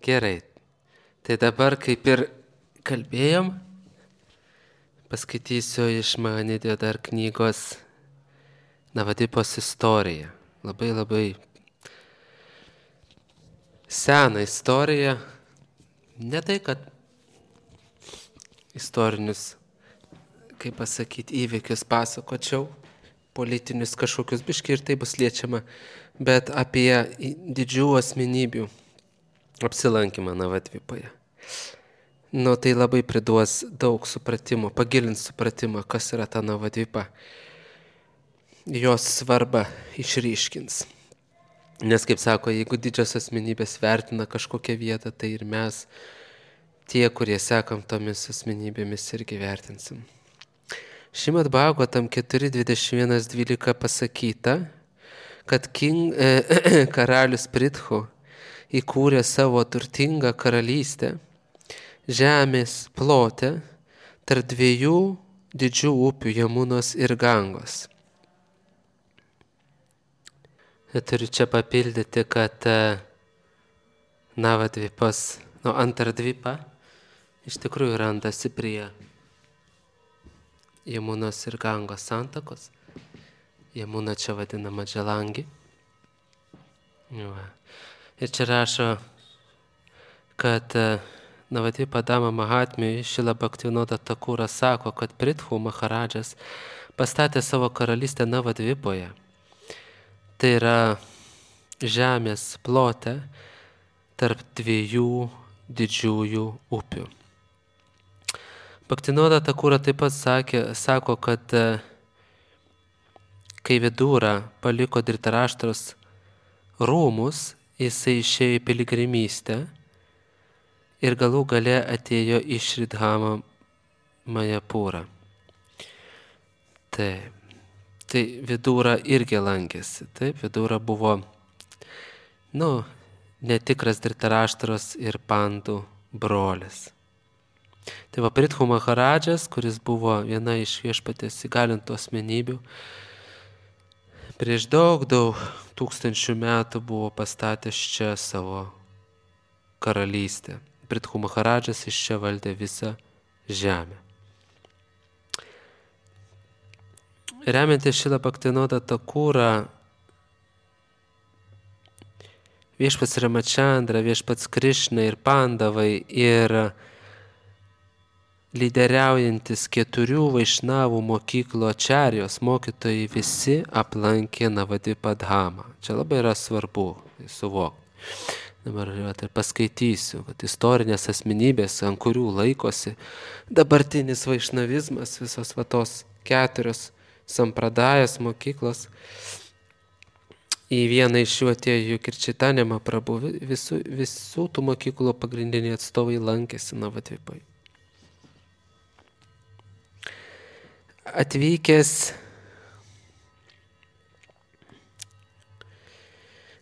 Gerai. Tai dabar kaip ir kalbėjom, paskaitysiu iš Mahanidžio dar knygos Navadvipos istoriją. Labai seną istoriją. Ne tai, kad istorinius, kaip pasakyti, įvykius pasakočiau, politinius kažkokius biški ir tai bus liečiama, bet apie didžių asmenybių apsilankymą Navadvipoje. Tai labai priduos daug supratimo, pagilins supratimą, kas yra ta Navadvipa. Jos svarbą išryškins. Nes, kaip sako, jeigu didžios asmenybės vertina kažkokią vietą, tai ir mes, tie, kurie sekam tomis asmenybėmis, irgi vertinsim. Šrimad Bhagavatam 4.21.12 pasakyta, kad karalius Prithu įkūrė savo turtingą karalystę žemės plote tarp dviejų didžių upių Jamunos ir Gangos. Turiu čia papildyti, kad Navadvipos, Antardvipa iš tikrųjų randasi prie Jamunos ir Gangos santakos. Jamuna čia vadinama Džalangi. Ir čia rašo, kad Navadvipa Dama Mahatmijui Šrila Bhaktivinoda Thakura sako, kad Prithu Maharadžas pastatė savo karalystę Navadvipoje. Tai yra žemės plote tarp dviejų didžiųjų upių. Bhaktivinoda Thakura taip pat sako, kad kai Vidura paliko Dhritarashtra's rūmus, jisai išėjo į piligrimystę ir galų gale atėjo į Šridhamą Majapūrą. Tai Vidura irgi lankėsi. Taip, Vidura buvo, netikras Dhritarashtra's ir Pandų brolis. Tai va, Prithu Maharadžas, kuris buvo viena iš viešpaties įgalintų asmenybių, prieš daug tūkstančių metų buvo pastatęs čia savo karalystę. Prithu Maharadžas iš čia valdė visą žemę. Remiantis Šrila Bhaktivinoda Thakura, viešpats Ramachandra, viešpats Krišna ir Pandavai ir lyderiaujantis 4 Vaišnavų mokyklų ačarijos mokytojai visi aplankė Navadvipą Dhamą. Čia labai yra svarbu suvokti. Dabar paskaitysiu, kad istorinės asmenybės, ant kurių laikosi dabartinis vaišnavizmas, visos tos 4 sampradajas mokyklos, į vieną iš jų atėjo ir Chaitanya Mahaprabhu, visų tų mokyklų pagrindiniai atstovai lankėsi Navadvipoje.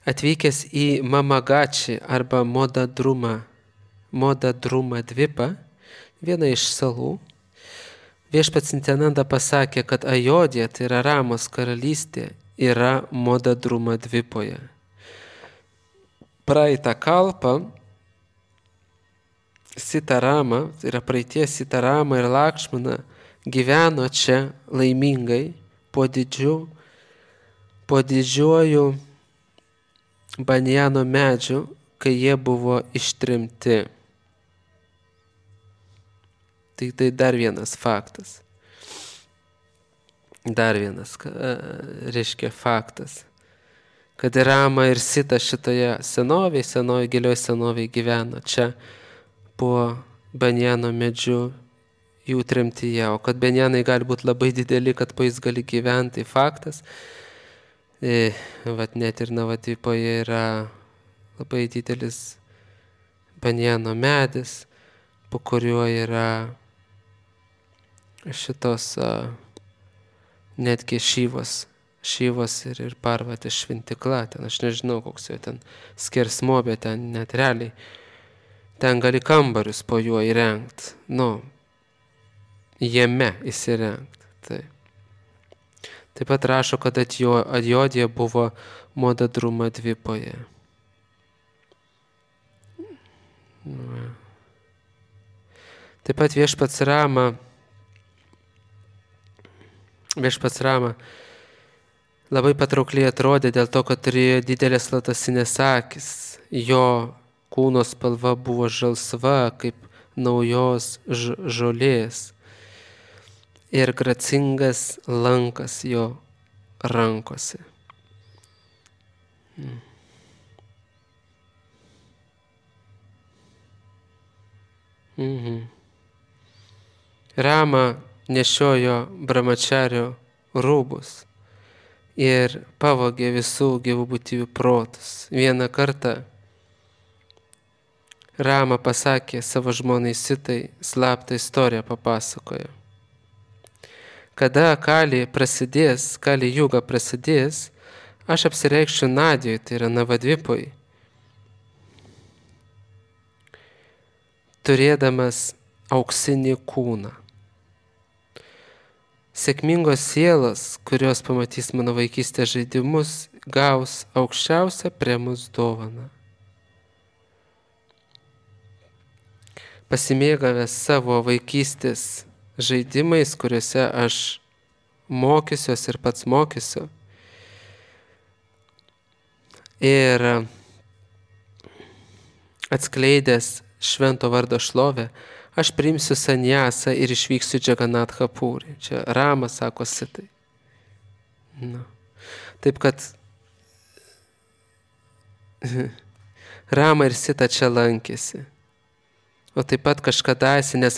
Atvykęs į Mamagači arba Modadruma Dvipą, vieną iš salų, viešpats Nityananda pasakė, kad Ajodhja, tai yra Ramos karalystė, yra Modadruma Dvipoje. Praeitą kalpą Sitarama, tai yra praeities Sitarama ir Lakšmana, gyveno čia laimingai po didžiuoju banjano medžiu, kai jie buvo ištrimti. Tai dar vienas faktas. Dar vienas, reiškia faktas, kad Rama ir Sita šitoje senoji gilioj senovėje gyveno čia po banjano medžiu jų tremtyje, o kad banjanai gali būti labai dideli, kad po jais gali gyventi, tai faktas. Net ir Navadvipoje yra labai didelis banjano medis, po kuriuo yra šitos netgi Šyvos ir Parvatės šventikla. Ten aš nežinau, koks jo ten skersmuo, bet ten net realiai. Ten gali kambarius po juo įrengti. Jame įsirengti. Taip pat rašo, kad Ajodhja buvo Modadruma Dvipoje. Taip pat viešpats Rama labai patraukliai atrodė dėl to, kad turėjo didelės lotosinės akis. Jo kūno spalva buvo žalsva, kaip naujos žolės. Ir gracingas lankas jo rankose. Rama nešiojo brahmačario rūbus ir pavogė visų gyvų būtybių protus. Vieną kartą Rama pasakė savo žmonai Sitai, slaptą istoriją papasakojo. Kada Kali juga prasidės, aš apsireikščiau Nadijoj, tai yra Navadvipoj, turėdamas auksinį kūną. Sėkmingos sielos, kurios pamatys mano vaikystės žaidimus, gaus aukščiausią premijos dovaną. Pasimėgavęs savo vaikystės žaidimais, kuriuose aš mokysiuos ir pats mokysiu, ir atskleidęs švento vardo šlovę, aš priimsiu sanjasą ir išvyksiu Džaganatha Purį. Čia Rama sako Sitai. Taip kad Rama ir Sita čia lankėsi. O taip pat kažkadaise, nes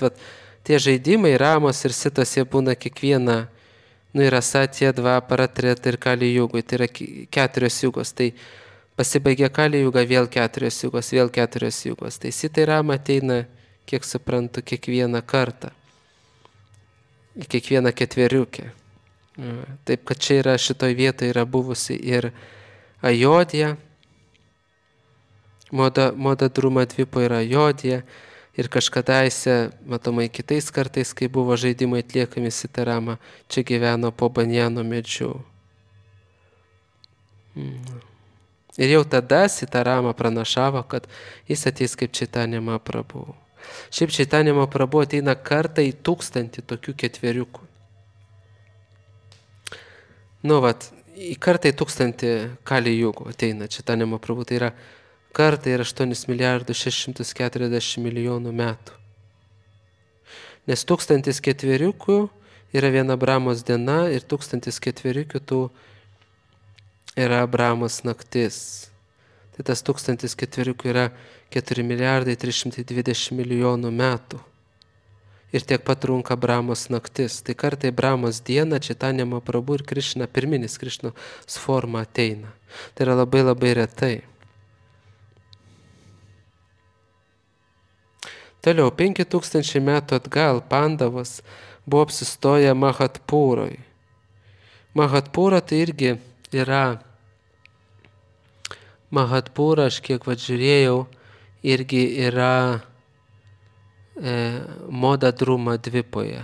tie žaidimai Ramos ir Sitos, jie būna kiekvieną, yra Satya, Dvapara, Treta ir Kali jugoj, tai yra 4 jugos. Tai pasibaigė Kali juga, vėl 4 jugos, vėl 4 jugos. Tai Sita ir Rama ateina, kiek suprantu, kiekvieną kartą, kiekvieną ketveriukę. Taip, kad čia yra šitoj vietoje yra buvusi ir Ajodija, Modadruma Dvipo yra Ajodija, ir kažkadaise, matomai kitais kartais, kai buvo žaidimai atliekami Sita Rama, čia gyveno po banjano medžiu. Ir jau tada Sita Rama pranašavo, kad jis ateis kaip Čaitanya Mahaprabhu. Šiaip Čaitanya Mahaprabhu ateina kartą į 1000 tokių ketveriukų. Į kartą į 1000 Kali jugų ateina Čaitanya Mahaprabhu, tai yra kartą ir 8,640 milijonų metų. Nes 1000 ketveriukų yra viena Brahmos diena ir 1000 ketveriukių tų yra Brahmos naktis. Tai tas 1000 ketveriukų yra 4,320 milijonų metų. Ir tiek pat trunka Brahmos naktis. Tai kartai Brahmos dieną Čaitanya Mahaprabhu ir Krišna, pirminis Krišnos forma ateina. Tai yra labai labai retai. Toliau, 5000 metų atgal Pandavos buvo apsistoję Mahatpūroj. Mahatpūra tai irgi yra Mahatpūra, aš kiek žiūrėjau, irgi yra Modadruma Dvipoje.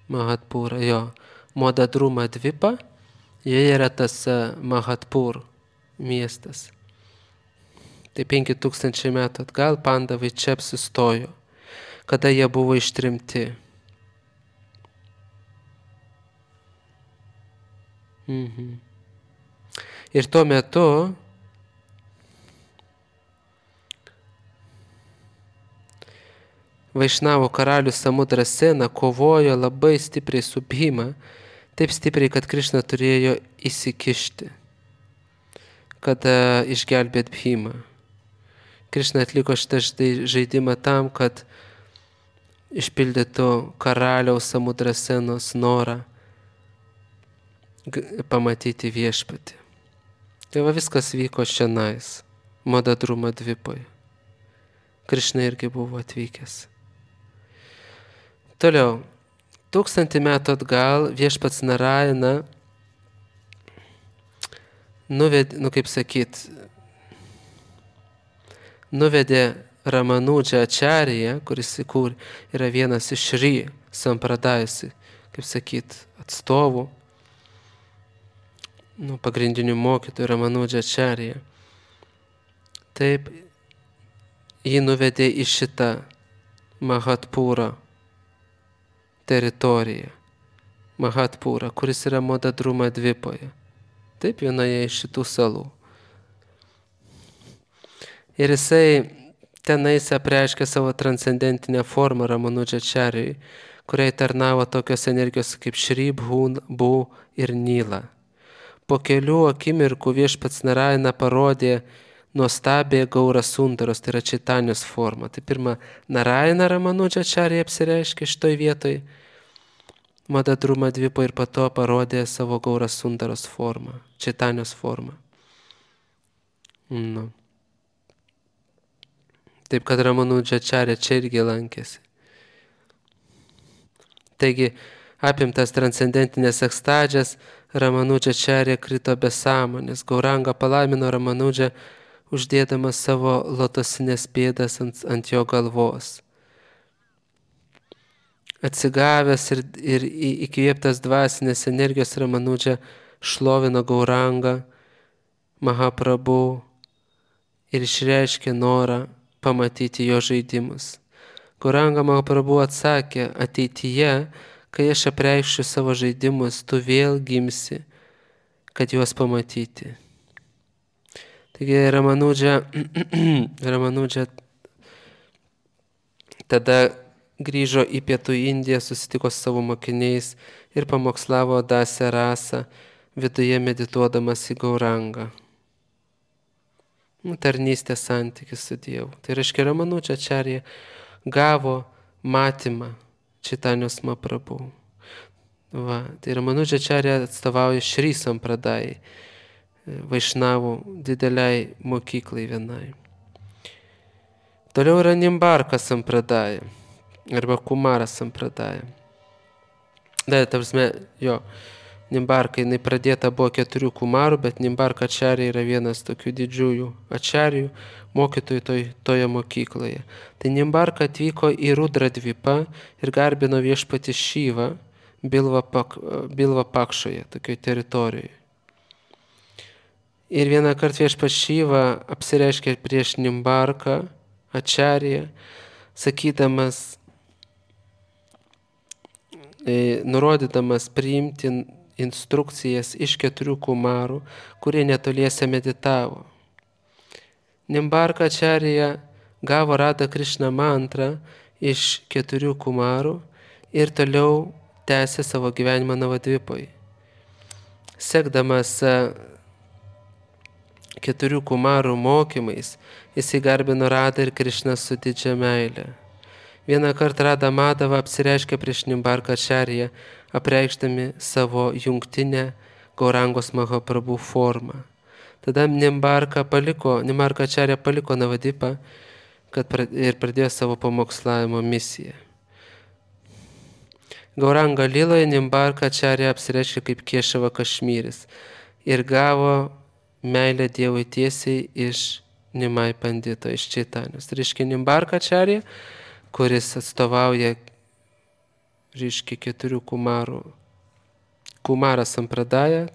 Mahatpūra, jo. Modadruma Dvipa, joje yra tas Mahatpūr miestas. Tai 5000 metų atgal Pandavai čia apsistojo, kada jie buvo ištrimti. Ir tuo metu Vaišnavo karalius Samudrasena kovojo labai stipriai su Bhima, taip stipriai, kad Krišna turėjo įsikišti, kad išgelbėt Bhimą. Krišna atliko šitą žaidimą tam, kad išpildytų karaliaus Samudrasenos norą pamatyti viešpatį. Tai viskas vyko šiandien, Modadruma Dvipoje. Krišna irgi buvo atvykęs. Toliau, 1000 metų atgal viešpats Narayana nuvedė Ramanudžą Acharya, kuris yra vienas iš Šri Sampradajus, atstovų, pagrindinių mokytojų Ramanudžą Acharya. Taip, jį nuvedė į šitą Mahatpūra teritorija. Mahatpūra, kuris yra Modadruma Dvipoje. Taip, vienoje iš šitų salų. Ir jisai tenais apreiškė savo transcendentinę formą Ramanudžačarijai, kuriai tarnavo tokios energijos kaip Šri, Bhu ir Nila. Po kelių akimirkų viešpats Narayana parodė nuostabė Gaura Sundaros, tai yra Čaitanijos forma. Tai pirma, Narayana Ramanudžačarija apsireiškė šitoj vietoj Modadruma Dvipo ir po to parodė savo Gaura Sundaros formą, Čaitanijos formą. Nu. Taip, kad Ramanudžačarija čia irgi lankėsi. Taigi, apimtas transcendentinės ekstazės, Ramanudžačarija krito be sąmonės. Gauranga palaimino Ramanudžą, uždėdamas savo lotosinės pėdas ant jo galvos. Atsigavęs ir įkvėptas dvasinės energijos, Ramanudža šlovino Gaurangą, Mahaprabhu ir išreiškė norą pamatyti jo žaidimus. Gauranga Mahaprabhu atsakė, ateityje, kai aš apreikščiau savo žaidimus, tu vėl gimsi, kad juos pamatyti. Taigi Ramanudža tada grįžo į Pietų Indiją, susitiko su savo mokiniais ir pamokslavo Dasę rasą, viduje medituodamas į Gaurangą. Tarnystės santykis su Dievu. Tai reiškia, Ramanudžačarija gavo matymą Čaitanijos Mahaprabhu. Va, tai Ramanudžačarija atstovauja Šri Sampradajai, Vaišnavų dideliai mokyklai vienai. Toliau yra Nimbarka Sampradaja arba Kumara Sampradaja. Nimbarka, jinai pradėta buvo 4 kumarų, bet Nimbarka Ačarija yra vienas tokių didžiųjų ačarijų, mokytojų toje mokykloje. Tai Nimbarka atvyko į Rudradvipą ir garbino viešpatį Šyvą Bilva Pakšoje, tokioje teritorijoje. Ir vieną kartą viešpats Šyva apsireiškė prieš Nimbarką Ačariją, sakydamas, nurodydamas priimti instrukcijas iš 4 kumarų, kurie netoliese meditavo. Nimbarka Ačarija gavo Radha Krishna mantrą iš 4 kumarų ir toliau tęsė savo gyvenimą Navadvipoje. Sekdamas 4 kumarų mokymais, jisai garbino Radha ir Krishną su didžia meile. Vieną kartą Radha Madhava apsireiškė prieš Nimbarka Ačariją, apreikšdami savo jungtinę Gaurangos Mahaprabhu formą. Tada Nimbarka Ačarija paliko Navadvipą ir pradėjo savo pamokslavimo misiją. Gauranga Liloje Nimbarka Ačarija apsireiškė kaip Kešava Kašmyris ir gavo meilę Dievui tiesiai iš Nimai Pandito, iš Čaitanijos. Tai reiškia Nimbarka Ačarija, kuris atstovauja 4 kumarų. Kumara Sampradaja,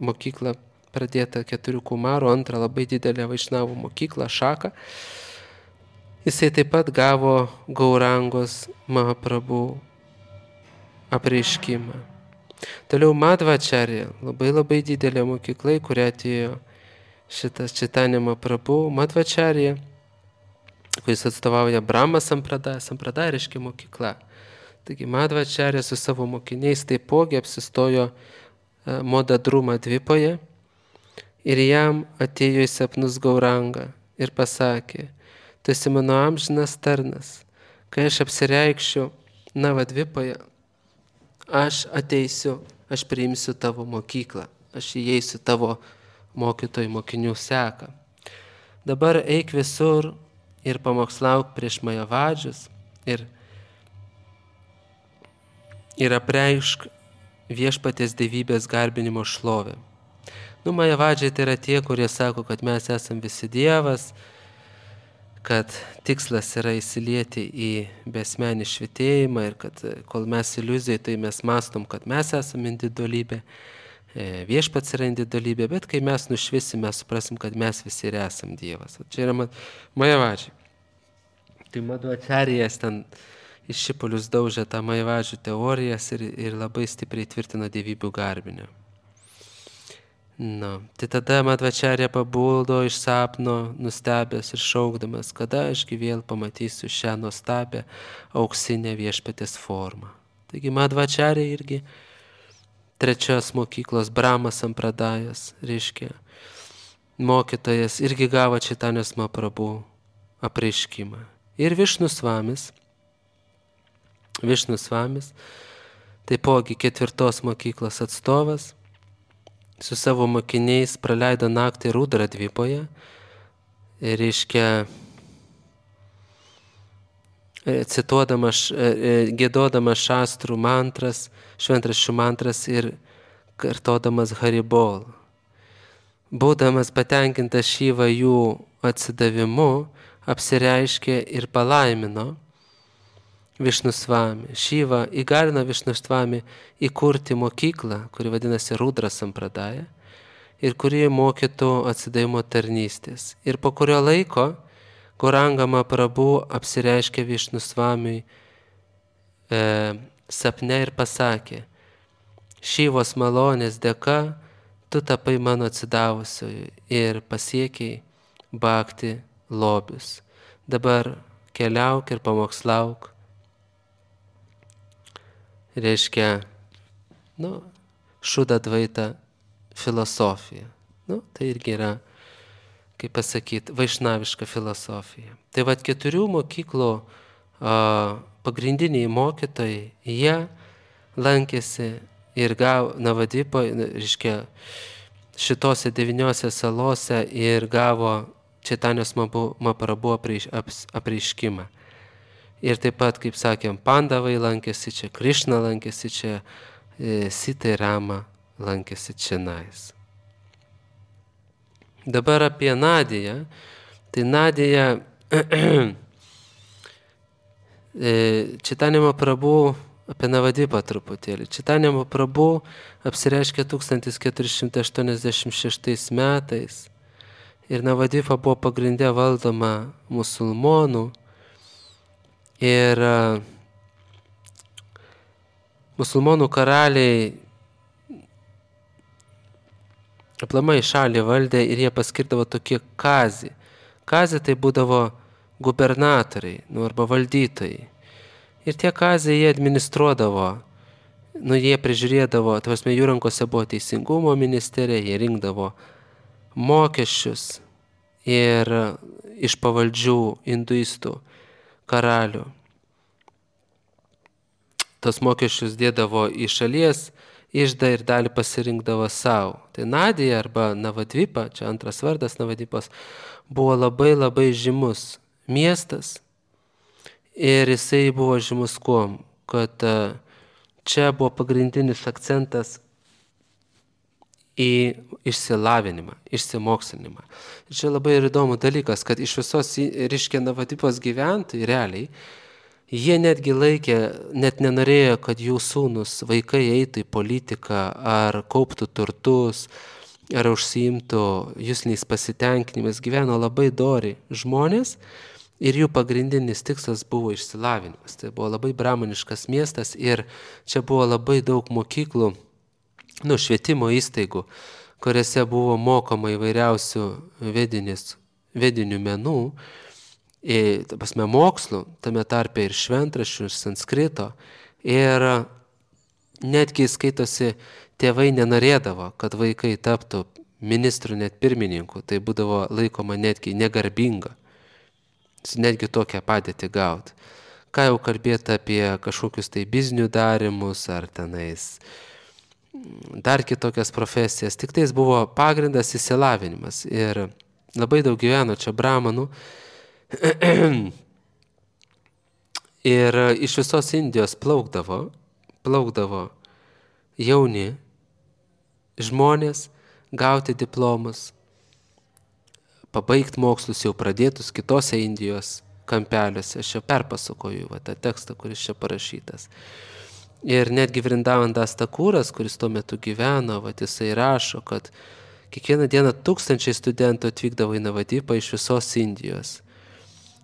mokykla pradėta 4 kumarų, antra labai didelė Vaišnavų mokykla, Šaka. Jisai taip pat gavo Gaurangos Mahaprabhu apreiškimą. Toliau Madhvačarija, labai didelė mokykla, kurią atėjo šitas Čaitanija Mahaprabhu. Madhvačarija, kuris atstovauja Brahma Sampradaja. Sampradaja reiškia mokykla. Taigi Madhvačarija su savo mokiniais taipogi apsistojo Modadruma Dvipoje ir jam atėjo į sapnus Gauranga ir pasakė, tu esi mano amžinas tarnas, kai aš apsireikščiau Navadvipoje, aš ateisiu, aš priimsiu tavo mokyklą, aš įeisiu tavo mokytojų mokinių seką. Dabar eik visur ir pamokslauk prieš Majavadžius ir apreišk viešpaties dievybės garbinimo šlovę. Majavadžiai tai yra tie, kurie sako, kad mes esam visi Dievas, kad tikslas yra įsilieti į besmenį švitėjimą ir kad kol mes iliuzijai, tai mes mastom, kad mes esam individualybė, viešpats yra individualybė, bet kai mes nušvisim, mes suprasim, kad mes visi ir esam Dievas. Čia yra Majavadžiai. Tai Madhvacharijas ten iš šipulius daužė tą Maivažių teorijas ir labai stipriai tvirtino dievybių garbinę. Tai tada Madhvacharya pabuldo iš sapno, nustebęs ir šaukdamas, kada ašgi vėl pamatysiu šią nuostabią auksinę viešpatės formą. Taigi Madhvacharya irgi trečios mokyklos Brahma sampradajas, reiškia, mokytojas irgi gavo Čaitanijos Mahaprabhu apreiškimą. Ir Višnu Svamis, taipogi ketvirtos mokyklos atstovas, su savo mokiniais praleido naktį Rudradvipoje, reiškia, giedodamas šastrų mantras, šventraščių mantras ir kartodamas Haribol. Būdamas patenkintas Šiva jų atsidavimu, apsireiškė ir palaimino Višnu Svami. Šiva įgalino Višnu Svami įkurti mokyklą, kuri vadinasi Rudra Sampradaja ir kuri mokytų atsidavimo tarnystės. Ir po kurio laiko Gauranga Mahaprabhu apsireiškė Višnu Svamiui sapne ir pasakė: Šivos malonės dėka tu tapai mano atsidavusioju ir pasiekiai bhakti lobius. Dabar keliauk ir pamokslauk. Reiškia, Šuda Dvaita filosofija. Tai irgi yra, kaip pasakyti, vaišnaviška filosofija. Tai vat 4 mokyklų pagrindiniai mokytojai, jie lankėsi ir gavo Navadipoje, reiškia, šitose 9 salose ir gavo Čaitanijos Mahaprabhu apreiškimą. Ir taip pat, kaip sakėm, Pandavai lankėsi čia, Krišna lankėsi čia, Sita ir Rama lankėsi čionais. Dabar apie Nadiją. Tai Nadija Čaitanija Mahaprabhu apie Navadipą truputėlį. Čaitanija Mahaprabhu apsireiškė 1486 metais ir Navadipa buvo pagrindė valdoma musulmonų ir musulmonų karaliai aplamai šalį valdė ir jie paskirdavo tokie kazį. Kazį tai būdavo gubernatoriai, arba valdytojai. Ir tie kazai jie administruodavo, jie prižiūrėdavo, jų rankose buvo teisingumo ministerija, jie rinkdavo mokesčius ir iš pavaldžių hinduistų karalių. Tos mokesčius dėdavo į šalies iždą ir dalį pasirinkdavo savo. Tai Nadija arba Navadvipa, čia antras vardas Navadvipos, buvo labai labai žymus miestas ir jisai buvo žymus kuom, kad čia buvo pagrindinis akcentas į išsilavinimą, išsimokslinimą. Ir čia labai įdomus dalykas, kad iš visos, reiškia, Navadvipos gyventojai realiai, jie netgi laikė, net nenorėjo, kad jų sūnus, vaikai eitų į politiką, ar kauptų turtus, ar užsiimtų jusliniais pasitenkinimais, gyveno labai dori žmonės ir jų pagrindinis tikslas buvo išsilavinimas. Tai buvo labai brahmaniškas miestas ir čia buvo labai daug mokyklų, švietimo įstaigų, kuriuose buvo mokoma įvairiausių vedinių menų, mokslų, tame tarpe ir šventraščių, ir sanskrito. Ir netgi skaitosi, tėvai nenorėdavo, kad vaikai taptų ministrų net pirmininku. Tai būdavo laikoma netgi negarbinga. Netgi tokią padėtį gauti. Ką jau kalbėti apie kažkokius tai biznių darimus ar tenais dar kitokias profesijas. Tik tais buvo pagrindas išsilavinimas. Ir labai daug gyveno čia brahmanų. Ir iš visos Indijos plaukdavo jauni žmonės gauti diplomus, pabaigti mokslus jau pradėtus kitose Indijos kampeliuose. Aš čia perpasakoju tą tekstą, kuris čia parašytas. Ir netgi Vrindavandas Takūras, kuris tuo metu gyveno, jisai rašo, kad kiekvieną dieną 1000 studentų atvykdavo į Navadipą iš visos Indijos.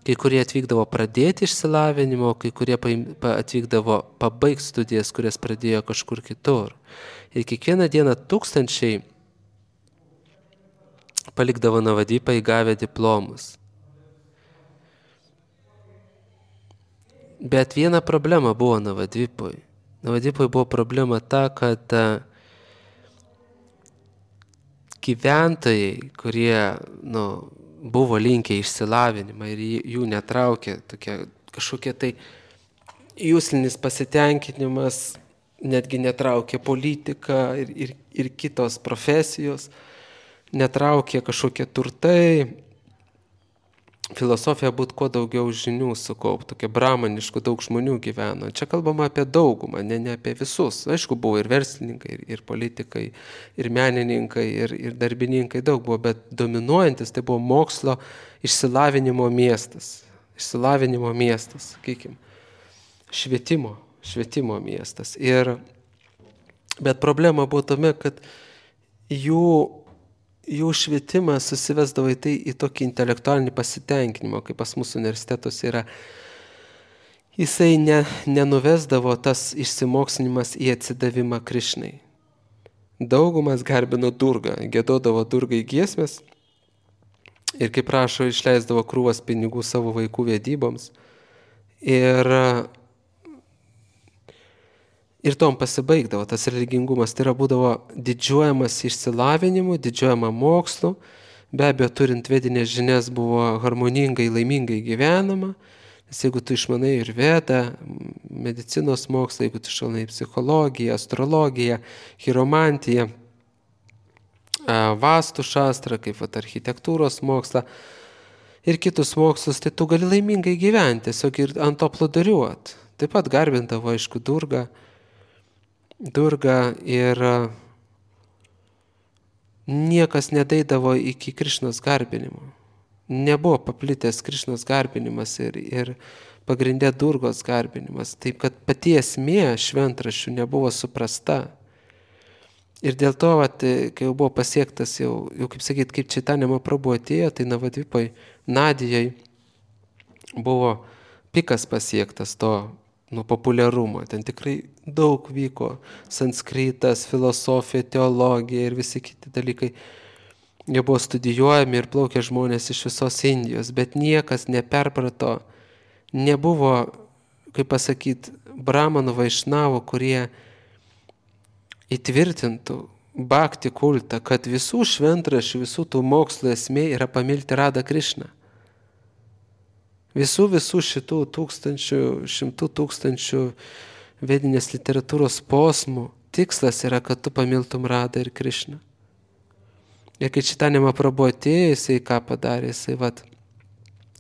Kai kurie atvykdavo pradėti išsilavinimo, kai kurie atvykdavo pabaigti studijas, kurias pradėjo kažkur kitur. Ir kiekvieną dieną tūkstančiai palikdavo Navadvipą įgavę diplomus. Bet viena problema buvo Navadvipui. Navadvipui buvo problema ta, kad gyventojai, kurie buvo linkę išsilavinimą ir jų netraukė kažkokie tai jūslinis pasitenkinimas, netgi netraukė politika ir kitos profesijos, netraukė kažkokie turtai, filosofija būtų kuo daugiau žinių sukaupti, tokia bramaniškų daug žmonių gyveno. Čia kalbama apie daugumą, ne apie visus. Aišku, buvo ir verslininkai, ir politikai, ir menininkai, ir darbininkai daug buvo, bet dominuojantis tai buvo mokslo išsilavinimo miestas. Išsilavinimo miestas, sakykime. Švietimo miestas. Bet problema buvo tame, kad jų švietimas susivesdavo į tokį intelektualinį pasitenkinimą, kaip pas mūsų universitetus yra. Jisai nenuvesdavo tas išsimokslinimas į atsidavimą Krišnai. Daugumas garbino Durgą, giedodavo Durgai giesmės ir, kaip rašo, išleisdavo krūvas pinigų savo vaikų vedyboms. Ir tom pasibaigdavo tas religingumas, tai yra būdavo didžiuojamas išsilavinimu, didžiuojama mokslu, be abejo turint vedinės žinias buvo harmoningai, laimingai gyvenama, nes jeigu tu išmanai ir vedą, medicinos mokslą, jeigu tu išmanai psichologiją, astrologiją, chiromantiją, vastų šastrą, kaip architektūros mokslą ir kitus mokslus, tai tu gali laimingai gyventi, tiesiog ir ant to plūduriuot. Taip pat garbindavo, aišku, Durga ir niekas nedaidavo iki Krišnos garbinimo. Nebuvo paplitęs Krišnos garbinimas ir pagrindė Durgos garbinimas. Taip, kad pati esmė šventraščių nebuvo suprasta. Ir dėl to, kai jau buvo pasiektas, jau kaip sakyt, kaip Čaitanija Mahaprabhu atėjo, tai Navadvipoj, Nadijai buvo pikas pasiektas to populiarumo. Ten tikrai daug vyko sanskritas, filosofija, teologija ir visi kiti dalykai. Jie buvo studijuojami ir plaukė žmonės iš visos Indijos, bet niekas neperprato, nebuvo, kaip pasakyt, bramanų vaišnavų, kurie įtvirtintų bhakti kultą, kad visų šventraščių, visų tų mokslo esmė yra pamilti Radą Krišną. Visų šitų šimtų tūkstančių vedinės literatūros posmų tikslas yra, kad tu pamiltum Radą ir Krišną. Ir kai Čaitanija Mahaprabhu atėjo, jisai ką padarė, jisai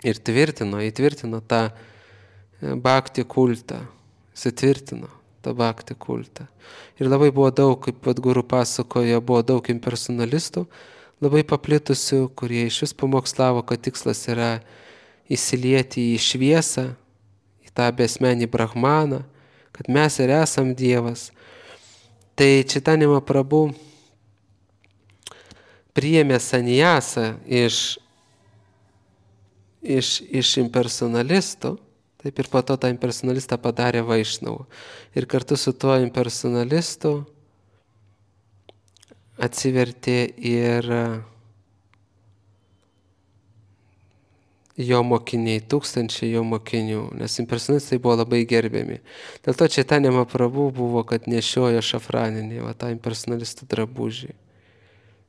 ir įtvirtino tą bhakti kultą. Jisai tvirtino tą bhakti kultą. Ir labai buvo daug, kaip guru pasakojo, buvo daug impersonalistų, labai paplitusių, kurie iš vis pamokslavo, kad tikslas yra įsilieti į šviesą, į tą besmenį brahmaną, kad mes ir esam Dievas. Tai Čaitanija Mahaprabhu priėmė sanjasą iš impersonalistų, taip ir po to tą impersonalistą padarė vaišnavu. Ir kartu su tuo impersonalistu atsivertė ir jo mokiniai, tūkstančiai jo mokinių, nes impersonalistai buvo labai gerbiami. Dėl to Čaitanija Mahaprabhu buvo, kad nešiojo šafraninį, tą impersonalistų drabužį.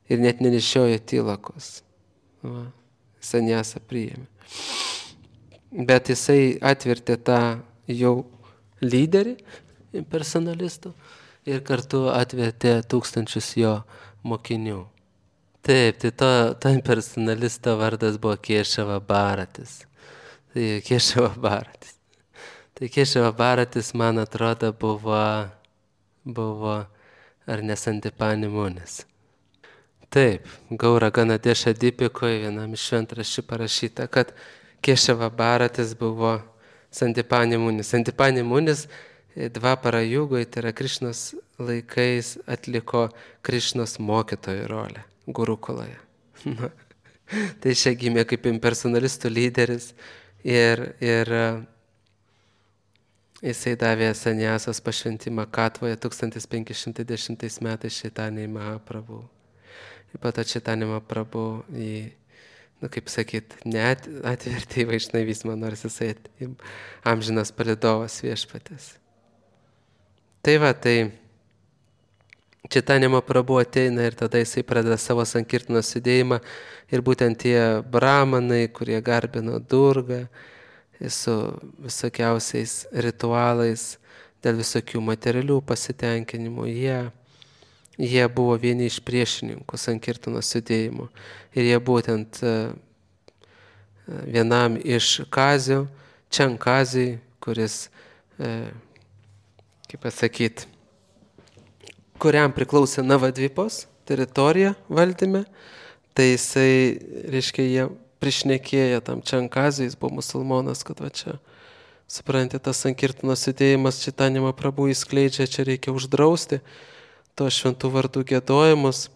Ir net nenešiojo tilakos. Sanjasą priėmė. Bet jisai atvertė tą jau lyderį impersonalistų ir kartu atvertė tūkstančius jo mokinių. Taip, tai to impersonalisto vardas buvo Kešava Bharatis. Tai Kešava Bharatis, man atrodo, buvo ar ne Santipani Munis. Taip, Gaura Ganadėša Dipikoje vienam iš šventraščių parašyta, kad Kešava Bharatis buvo Santipani Munis. Santipani Munis Dvapara Jugoj, tai yra Krišnos laikais, atliko Krišnos mokytojo rolę Gurukoloje. Tai čia gimė kaip impersonalistų lyderis Ir jisai davė Saniasas pašventimą Katvoje 1510 metais Čaitanijai Mahaprabhu. Ir po to Čaitanija Mahaprabhu kaip sakyt, net atvertė į vaišnavizmą, nors jisai amžinas palydovas Viešpaties. Tai va, tai Čaitanija Mahaprabhu ateina ir tada jisai pradeda savo sankirtanos judėjimą ir būtent tie brahmanai, kurie garbino Durgą su visokiausiais ritualais, dėl visokių materialių pasitenkinimų, jie buvo vieni iš priešininkų sankirtanos judėjimo. Ir jie būtent vienam iš Kazių, Čankazijai, kuris, kaip pasakyt, kuriam priklausė Navadvipos teritorija valdyme, tai jisai, reiškia, jie prišnekėjo tam Čankazijai, jis buvo musulmonas, kad va čia, suprantate, tas sankirtanos judėjimas Čaitanija Mahaprabhu įskleidžia, čia reikia uždrausti to šventų vardų giedojimus,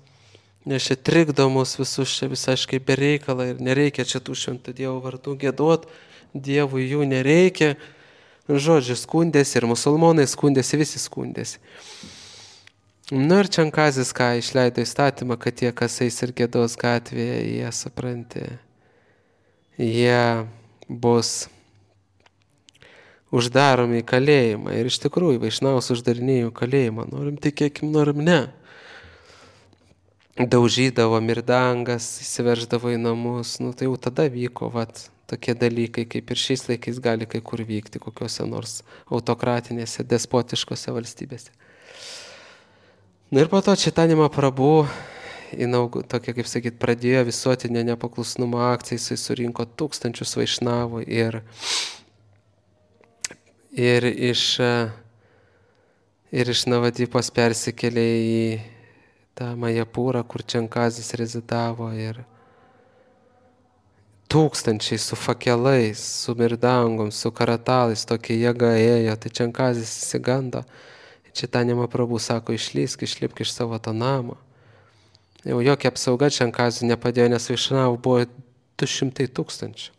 nes čia trikdo mus visus čia visaiškai be reikalą ir nereikia čia tų šventų Dievo vardų giedot, Dievui jų nereikia. Žodžiu, skundėsi ir musulmonai skundėsi, visi skundėsi. Nu ir Čankazis ką išleido įstatymą, kad tie, kas eis ir giedos gatvėje, jie, supranti, jie bus uždaromi į kalėjimą. Ir iš tikrųjų, vaišnavus uždarinėjo kalėjimą. Norim tikėkim, norim ne. Daužydavo mirdangas, įsiverždavo į namus. Nu tai jau tada vyko, vat, tokie dalykai, kaip ir šiais laikais gali kai kur vykti, kokiuose nors autokratinėse, despotiškose valstybėse. Na ir po to Čaitanija Mahaprabhu, tokia, kaip sakyt, pradėjo visuotinę nepaklusnumo akciją, jisai surinko 1000 vaišnavų ir iš Navadvipos persikėlė į tą Majapūrą, kur Čankazis rezidavo ir 1000 su fakelais, su mirdangom, su karatalais, tokia jėga ėjo, tai Čankazis įsigando. Čaitanija Mahaprabhu sako, išlipk iš savo to namo. Jau jokia apsauga Čankazui nepadėjo, nes vaišnavų buvo 200 000.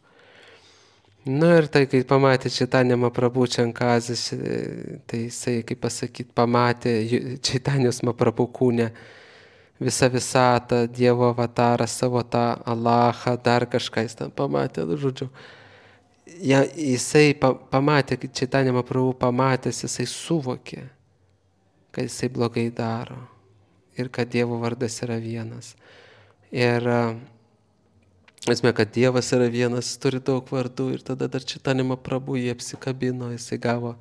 Nu ir tai, kai pamatė Čaitanija Mahaprabhu Čankazis, tai jisai, kaip pasakyt, pamatė Čaitanijos Mahaprabhu kūne visą visatą, Dievo avatarą, savo tą Alachą, dar kažką jis ten pamatė, žodžiu. Jisai pamatė, kai Čaitanija Mahaprabhu pamatęs, jisai suvokė, kad jisai blogai daro ir kad Dievo vardas yra vienas. Ir esmė, kad Dievas yra vienas, turi daug vardų ir tada dar Čaitanija Mahaprabhu jį apsikabino, jisai gavo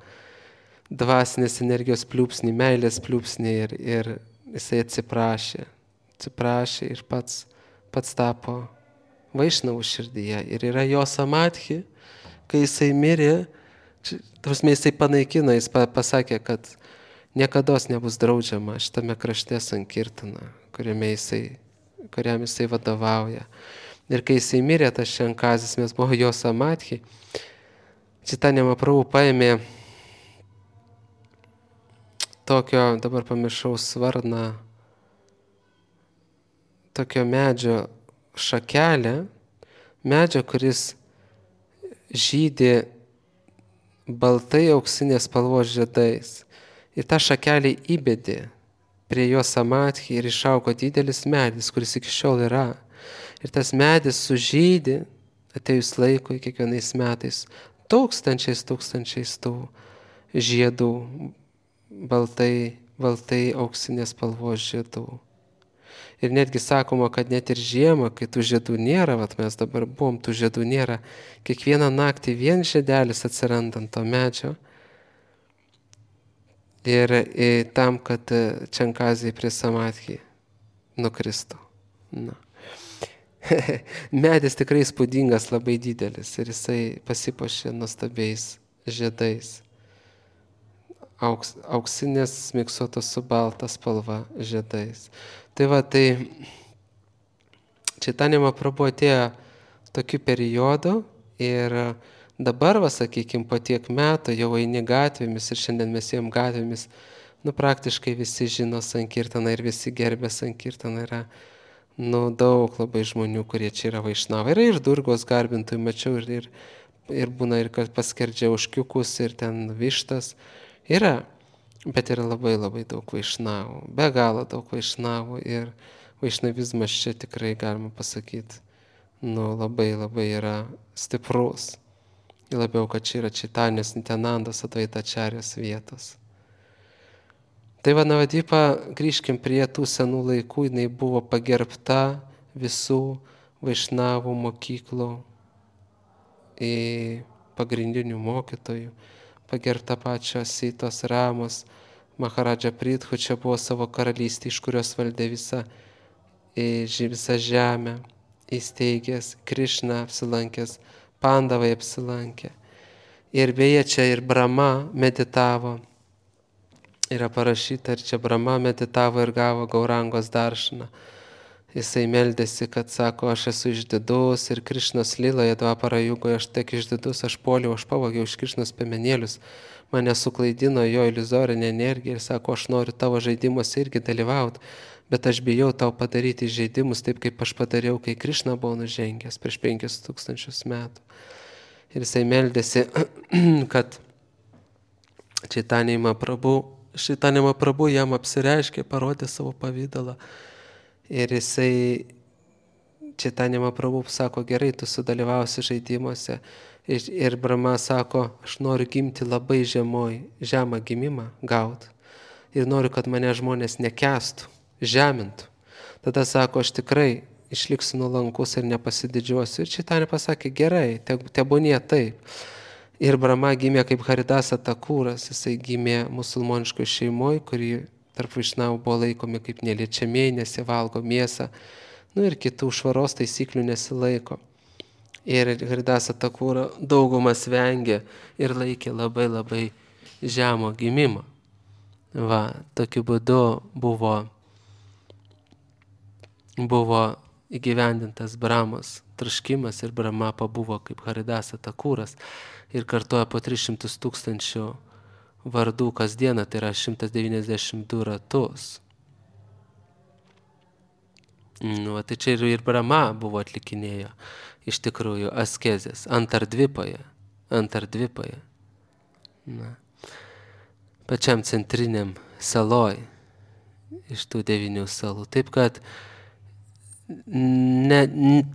dvasinės energijos pliūpsnį, meilės pliūpsnį ir jisai atsiprašė ir pats tapo vaišnavų širdyje. Ir yra jo samadhi, kai jisai mirė, jisai panaikino, jis pasakė, kad niekados nebus draudžiama šitame krašte sankirtana, kuriam jisai vadovauja. Ir kai jisai mirė, tas Čankazis, mes buvo jo samadhi, Čaitanija Mahaprabhu paėmė tokio, dabar pamiršau svarną, tokio medžio šakelę, medžio, kuris žydi baltai auksinės spalvos žiedais. Ir tą šakelį įbedė prie jo samadhi ir išaugo didelis medis, kuris iki šiol yra. Ir tas medis sužydi, atėjus laikui kiekvienais metais, tūkstančiais tų žiedų, baltai auksinės spalvos žiedų. Ir netgi sakoma, kad net ir žiemą, kai tų žiedų nėra, vat mes dabar buvom, tų žiedų nėra, kiekvieną naktį vien žiedelis atsiranda ant to medžio. Ir tam, kad Čankazijai prie samadhi nukristų. Na. Medis tikrai įspūdingas, labai didelis ir jisai pasipuošė nuostabiais žiedais. Auksinės miksuotos su balta spalva žiedais. Tai va, tai Čaitanija Mahaprabhu atėjo tokiu periodu ir dabar, va, sakykime, po tiek metų jau eini gatvėmis ir šiandien mes ėjom gatvėmis, praktiškai visi žino sankirtaną ir visi gerbė sankirtaną. Yra daug labai žmonių, kurie čia yra vaišnavai. Yra ir Durgos garbintojų, mačiau ir ir būna ir kad paskerdžia ožkiukus ir ten vištas. Yra, bet yra labai labai daug vaišnavų, be galo daug vaišnavų ir vaišnavizmas čia tikrai galima pasakyti, labai labai yra stiprus. Ir labiau, kad čia yra Čaitanijos Nityanandos Advaitačarijos vietos. Tai va Navadipa, grįžkim prie tų senų laikų, jinai buvo pagerbta visų vaišnavų mokyklų pagrindinių mokytojų, pagerbta pačios Sitos Ramos, Maharadža Prithu čia buvo savo karalystė, iš kurios valdė visą žemę, įsteigęs, Krišna apsilankęs, Pandavai apsilankė. Ir beje, čia ir Brahma meditavo. Yra parašyta, ir čia Brahma meditavo ir gavo Gaurangos daršaną. Jisai meldėsi, kad sako, aš esu išdidus ir Krišnos lyloje Dvapara jugoje aš tiek išdidus, aš puoliau, aš pavogiau iš Krišnos piemenėlius, mane suklaidino jo iliuzorinė energija ir sako, aš noriu tavo žaidimuose irgi dalyvauti, bet aš bijau tau padaryti žaidimus taip, kaip aš padariau, kai Krišna buvo nužengęs prieš 5000 metų. Ir jisai meldėsi, kad Čaitanija Mahaprabhu jam apsireiškė, parodė savo pavydalą. Ir jisai Čaitanija Mahaprabhu sako, gerai, tu sudalyvausi žaidimuose. Ir Brahma sako, aš noriu gimti labai žemą gimimą gauti. Ir noriu, kad mane žmonės nekęstų, žemintų. Tada sako, aš tikrai išliksiu nuolankus ir nepasididžiuosiu. Ir Čaitanija pasakė, gerai, tebūnie taip. Ir Brahma gimė kaip Haridasa Takūras, jisai gimė musulmoniškoje šeimoje, kuri tarp vaišnavų buvo laikomi kaip neliečiamieji, nesivalgo mėsą, ir kitų švaros taisyklių nesilaiko. Ir Haridasa Takūra daugumas vengė ir laikė labai labai žemo gimimą. Va, tokiu būdu buvo įgyvendintas Brahmos troškimas ir Brahma pabuvo kaip Haridasa Takūras ir kartoja po 300 000 vardų kasdieną, tai yra 192 ratus. Tai čia ir Brahma buvo atlikinėjo iš tikrųjų askezės Antardvipoje. Pačiam centriniam saloj iš tų 9 salų. Taip kad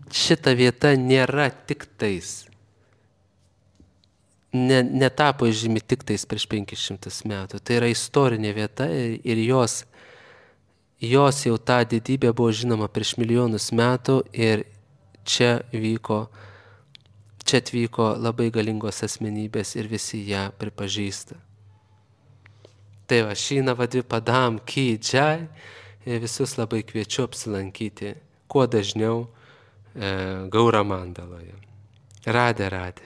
šita vieta nėra tik tais, netapo žymi tik tais prieš 500 metų. Tai yra istorinė vieta ir jos jau ta didybė buvo žinoma prieš milijonus metų ir čia atvyko labai galingos asmenybės ir visi ją pripažįsta. Tai va, šį Navadvipa Dham ki jai, visus labai kviečiu apsilankyti kuo dažniau Gauramandaloje. Radhe Radhe.